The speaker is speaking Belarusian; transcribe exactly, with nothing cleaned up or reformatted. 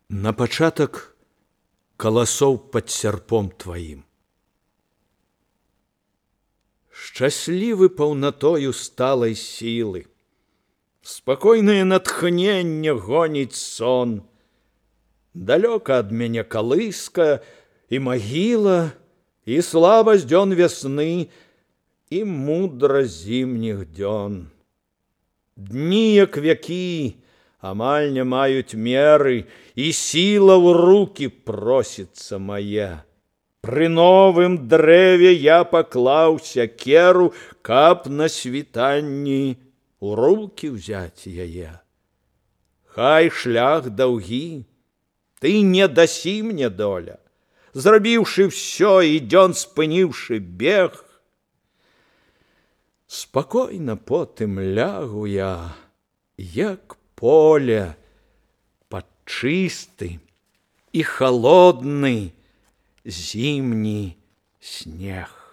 На пачатак каласоў пад сярпом тваім. Шчаслівы паўнатою сталай сілы, спакойнае натхненне гоніць сон. Далёка ад мяне калыска і магіла, і слабасць дзён вясны, і мудра зімніх дзён. Дні, як вякі, амаль не маюць меры, і сіла ў рукі просіцца мая. Пры новым дрэве я паклаў сякеру, каб на світанні у рукі ўзяць яе. Хай шлях даўгі, ты не дасі мне, доля, зрабіўшы ўсё і дзён спыніўшы бег. Спакойна потым лягу я, як поле, пад чысты і халодны зімні снег.